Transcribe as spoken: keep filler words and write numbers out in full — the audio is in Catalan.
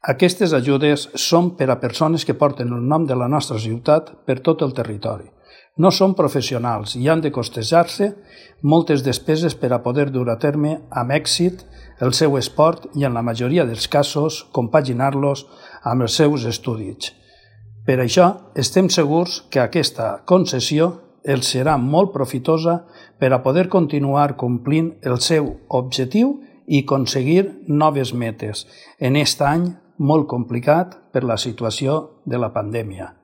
Aquestes ajudes són per a persones que porten el nom de la nostra ciutat per tot el territori. No són professionals i han de costejar-se moltes despeses per a poder dur a terme amb èxit el seu esport i, en la majoria dels casos, compaginar-los amb els seus estudis. Per això, estem segurs que aquesta concessió els serà molt profitosa per a poder continuar complint el seu objectiu i aconseguir noves metes en aquest any molt complicat per la situació de la pandèmia.